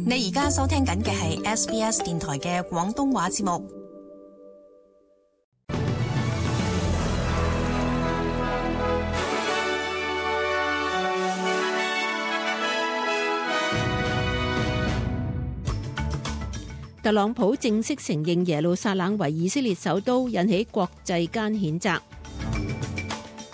你而家收聽緊嘅係 SBS 電台嘅廣東話節目。特朗普正式承認耶路撒冷為以色列首都，引起國際間譴責。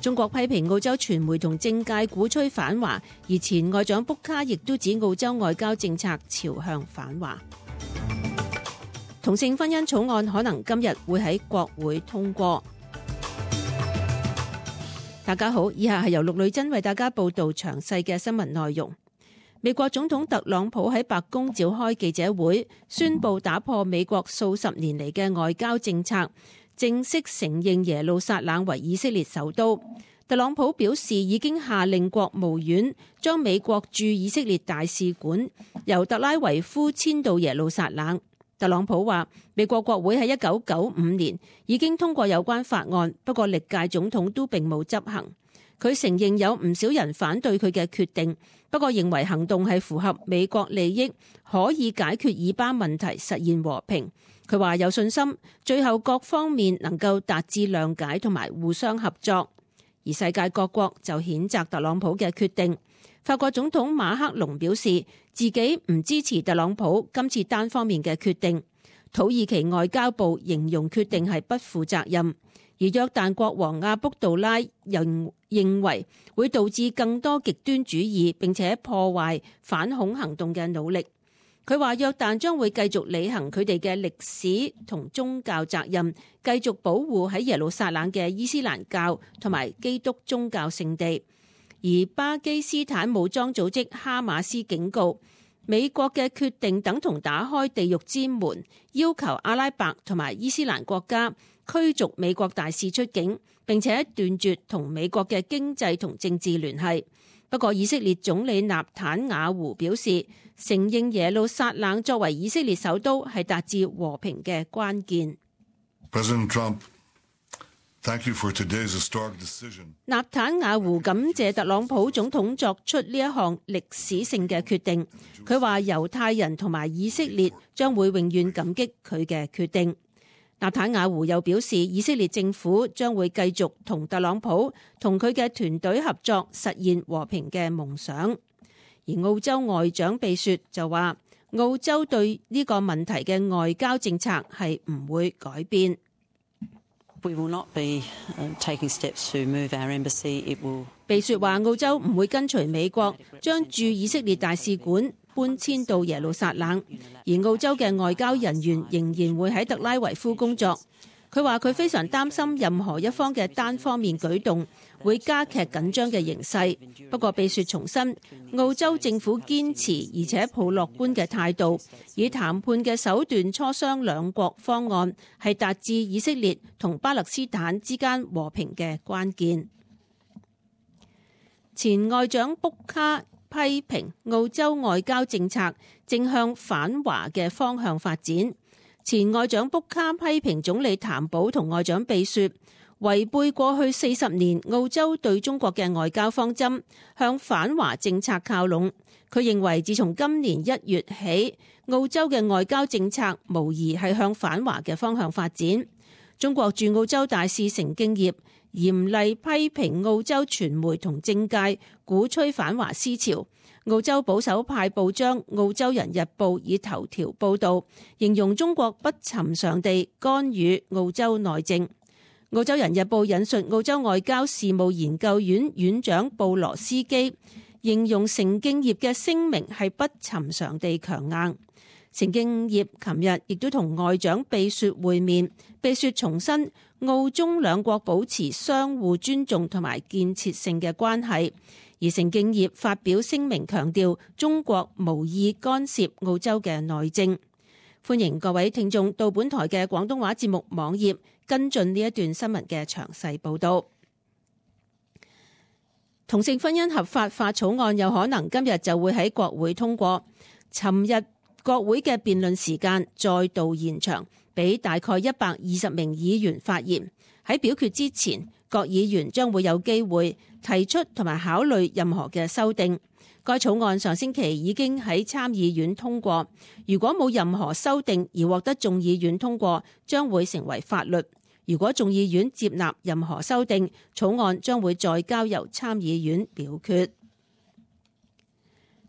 中國批評澳洲傳媒同政界鼓吹反華，而前外長卜卡亦都指澳洲外交政策朝向反華。同性婚姻草案可能今日會喺國會通過。大家好，以下係由陸女真為大家報道詳細嘅新聞內容。美國總統特朗普喺白宮召開記者會，宣布打破美國數十年嚟嘅外交政策，正式承認耶路撒冷為以色列首都。特朗普表示已經下令國務院將美國駐以色列大使館由特拉維夫遷到耶路撒冷。特朗普話，美國國會喺1995年已經通過有關法案，不過歷屆總統都並冇執行。佢承認有唔少人反對佢嘅決定，不過認為行動係符合美國利益，可以解決以巴問題，實現和平。佢話有信心，最後各方面能夠達至諒解同埋互相合作。而世界各國就譴責特朗普嘅決定。法國總統馬克龍表示自己唔支持特朗普今次單方面嘅決定。土耳其外交部形容決定係不負責任。而約旦國王阿卜杜拉認為會導致更多極端主義並且破壞反恐行動嘅努力。佢話約旦將會繼續履行佢哋嘅歷史同宗教責任，繼續保護喺耶路撒冷嘅伊斯蘭教同埋基督宗教聖地。而巴基斯坦武裝組織哈馬斯警告，美國嘅決定等同打開地獄之門，要求阿拉伯同埋伊斯蘭國家驅逐美國大使出境，並且斷絕同美國嘅經濟同政治聯繫。不過以色列總理納坦雅胡表示，承認耶路撒冷作為以色列首都係達至和平嘅關鍵。President Trump, thank you for today's historic decision. 納坦雅胡感謝特朗普總統作出呢一項歷史性嘅決定。佢話猶太人同埋以色列將會永遠感激佢嘅決定。納坦雅胡又表示，以色列政府將會繼續同特朗普同佢嘅團隊合作，實現和平嘅夢想。而澳洲外長秘書就話，澳洲對呢個問題嘅外交政策係唔會改變。We will not be taking steps to move our embassy. It will. 秘書話，澳洲唔會跟隨美國將駐以色列大使館搬遷到耶路撒冷，而澳洲嘅外交人員仍然會喺特拉維夫工作。佢話佢非常擔心任何一方嘅單方面舉動會加劇緊張嘅形勢。不過秘書重申，澳洲政府堅持而且抱樂觀嘅態度，以談判嘅手段磋商兩國方案，係達至以色列同巴勒斯坦之間和平嘅關鍵。前外長卜卡批評澳洲外交政策正向反華嘅方向發展。前外長卜卡批評總理譚寶同外長秘書違背過去40年澳洲對中國嘅外交方針，向反華政策靠攏。佢認為自從今年1月起，澳洲嘅外交政策無疑係向反華嘅方向發展。中國駐澳洲大使成敬業嚴厲批評澳洲傳媒同政界鼓吹反華思潮。澳洲保守派報章《澳洲人日報》以頭條報導，形容中國不尋常地干預澳洲內政。《澳洲人日報》引述澳洲外交事務研究院院長布羅斯基，形容成敬業嘅聲明係不尋常地強硬。成敬業琴日亦都同外長秘書會面，秘書重申澳中兩國保持相互尊重同埋建設性嘅關係。而成敬業發表聲明強調，中國無意干涉澳洲嘅內政。歡迎各位聽眾到本台嘅廣東話節目網頁跟進呢一段新聞嘅詳細報導。同性婚姻合法化草案有可能今日就會喺國會通過。尋日國會嘅辯論時間再度延長，俾大概120名議員發言。喺表決之前，各議員將會有機會提出同埋考慮任何嘅修訂。該草案上星期已經喺參議院通過，如果冇任何修訂而獲得眾議院通過，將會成為法律。如果眾議院接納任何修訂，草案將會再交由參議院表決。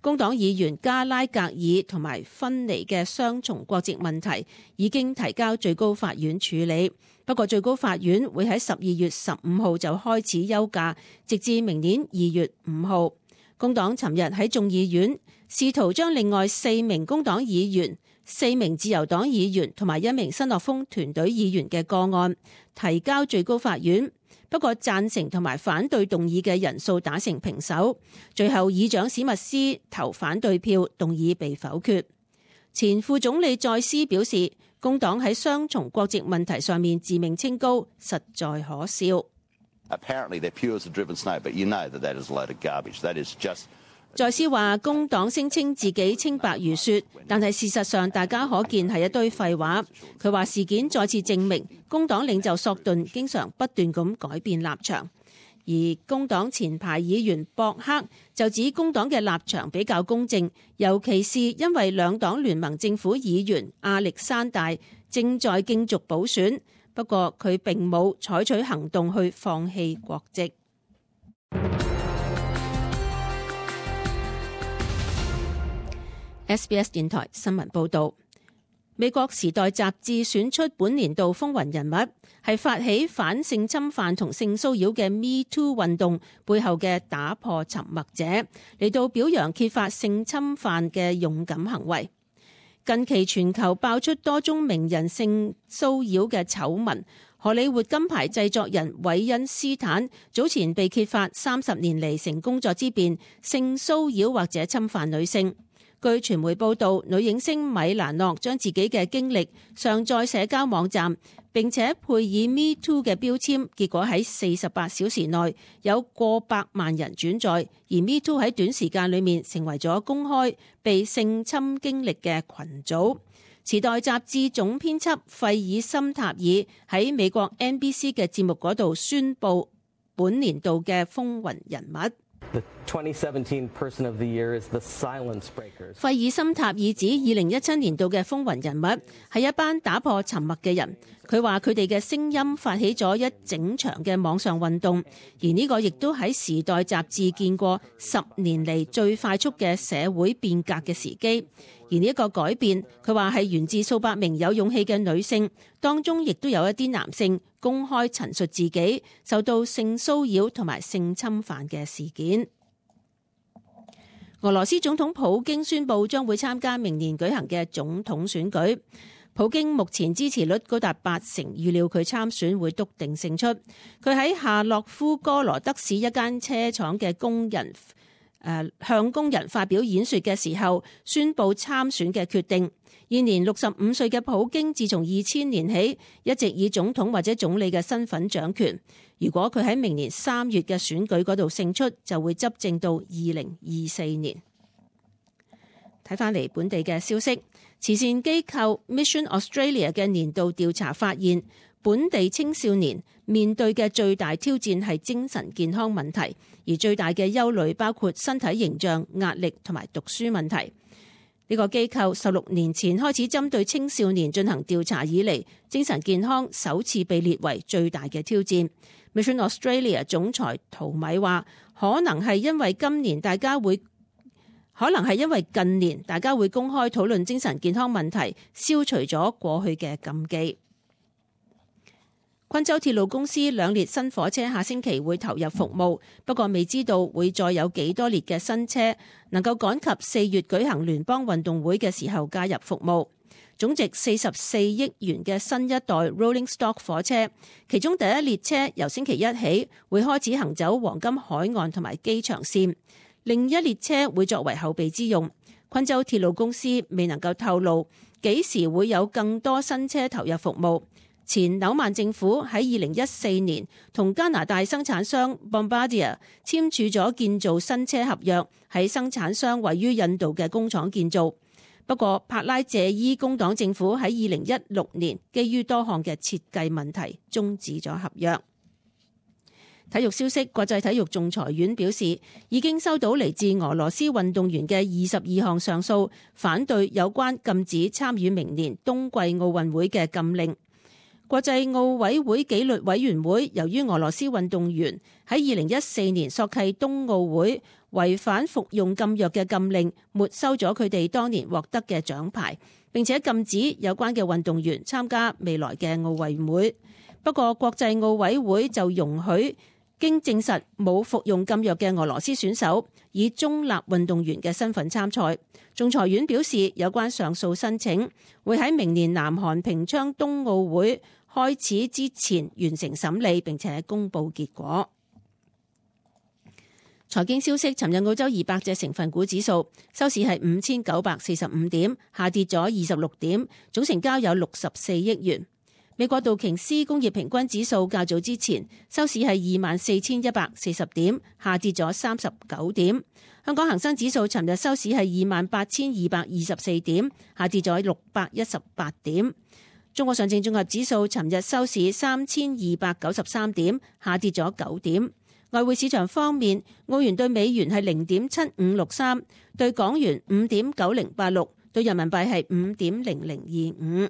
工黨議員加拉格爾同埋芬尼嘅雙重國籍問題已經提交最高法院處理，不過最高法院會喺12月15號就開始休假，直至明年2月5號。工黨尋日喺眾議院試圖將另外4名工黨議員、4名自由黨議員同埋1名新樂豐團隊議員嘅個案提交最高法院。不過贊成同埋反對動議嘅人數打成平手，最後議長史密斯投反對票，動議被否決。前副總理再斯表示，工黨喺雙重國籍問題上面自命清高，實在可笑。再斯話，工黨聲稱自己清白如雪，但係事實上大家可見係一堆廢話。佢話事件再次證明工黨領袖索頓經常不斷咁改變立場，而工黨前排議員博克就指工黨嘅立場比較公正，尤其是因為兩黨聯盟政府議員亞歷山大正在競逐補選，不過佢並冇採取行動去放棄國籍。SBS 電台新聞報道，美國時代雜誌選出本年度風雲人物，係發起反性侵犯同性騷擾嘅 Me Too 運動背後嘅打破沉默者，嚟到表揚揭發性侵犯嘅勇敢行為。近期全球爆出多宗名人性騷擾嘅醜聞，荷里活金牌製作人韋恩斯坦早前被揭發30年嚟成工作之便性騷擾或者侵犯女性。據傳媒報道，女影星米蘭諾將自己嘅經歷上載社交網站，並且配以 Me Too 嘅標籤，結果喺48小時內有過百萬人轉載，而 Me Too 喺短時間裏面成為咗公開被性侵經歷嘅群組。時代雜誌總編輯費爾森塔爾喺美國 NBC 嘅節目嗰度宣布本年度嘅風雲人物。The 2017 Person of the Year is the Silence Breakers. 費爾森塔爾指2017年度嘅風雲人物係一班打破沉默嘅人。佢話佢哋嘅聲音發起咗一整場嘅網上運動，而呢個亦都喺時代雜誌見過10年嚟最快速嘅社會變革嘅時機。而呢一個改變，佢話係源自數百名有勇氣嘅女性，當中亦都有一啲男性公開陳述自己受到性騷擾同埋性侵犯嘅事件。俄羅斯總統普京宣布將會參加明年舉行嘅總統選舉。普京目前支持率高達80%，預料佢參選會篤定勝出。佢喺夏洛夫哥羅德市一間車廠嘅工人向工人發表演說嘅時候，宣布參選嘅決定。現年65歲嘅普京，自從2000年起一直以總統或者總理嘅身份掌權。如果佢喺明年3月嘅選舉嗰度勝出，就會執政到2024年。睇返嚟本地嘅消息，慈善機構 Mission Australia 嘅年度調查發現，本地青少年面對嘅最大挑戰係精神健康問題，而最大嘅憂慮包括身體形象、壓力同埋讀書問題。呢個機構16年前開始針對青少年進行調查以嚟，精神健康首次被列為最大嘅挑戰。Mission Australia 總裁陶米話，可能係因為近年大家會公開討論精神健康問題，消除咗過去嘅禁忌。昆州鐵路公司2列新火車下星期會投入服務，不過未知道會再有幾多列嘅新車能夠趕及4月舉行聯邦運動會嘅時候加入服務。總值44億元嘅新一代 Rolling Stock 火車，其中第一列車由星期一起會開始行走黃金海岸同埋機場線，另一列車會作為後備之用。昆州鐵路公司未能夠透露幾時會有更多新車投入服務。前紐曼政府喺2014年同加拿大生產商 Bombardier 簽署咗建造新車合約，喺生產商位於印度嘅工廠建造。不過帕拉謝伊工黨政府喺2016年基於多項嘅設計問題終止咗合約。體育消息，國際體育仲裁院表示，已經收到嚟自俄羅斯運動員嘅22項上訴，反對有關禁止參與明年冬季奧運會嘅禁令。國際奧委會紀律委員會由於俄羅斯運動員喺2014年索契冬奧會違反服用禁藥嘅禁令，沒收咗佢哋當年獲得嘅獎牌，並且禁止有關嘅運動員參加未來嘅奧運會。不過國際奧委會就容許經證實冇服用禁藥嘅俄羅斯選手以中立運動員嘅身份參賽。仲裁院表示，有關上訴申請會喺明年南韓平昌冬奧會開始之前完成審理，並且公佈結果。財經消息，尋日澳洲200隻成分股指數收市係5945點，下跌咗26點，總成交有64億元。美國道瓊斯工業平均指數較早之前收市係24,140點，下跌咗39點。香港恒生指數尋日收市係28,224點，下跌咗618點。中國上證綜合指數尋日收市3293點，下跌咗9點。外匯市場方面，澳元對美元係0.7563，對港元5.9086，對人民幣係5.0025。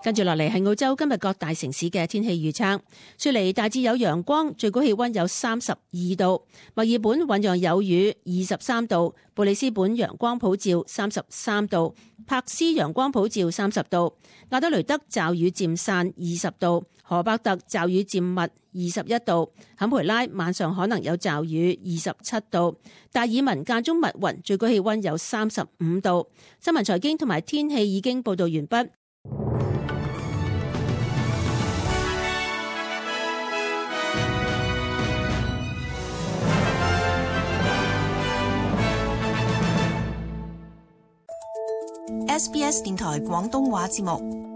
跟住落嚟係澳洲今日各大城市嘅天氣預測。雪梨大致有陽光，最高氣溫有32度；墨爾本醞釀有雨，23度；布里斯本陽光普照，33度；柏斯陽光普照，30度；亞德雷德驟雨漸散，20度；荷伯特驟雨漸密，21度；坎培拉晚上可能有驟雨，27度；達爾文間中密雲，最高氣溫有35度。新聞財經同埋天氣已經報道完畢。SBS 電台廣東話節目。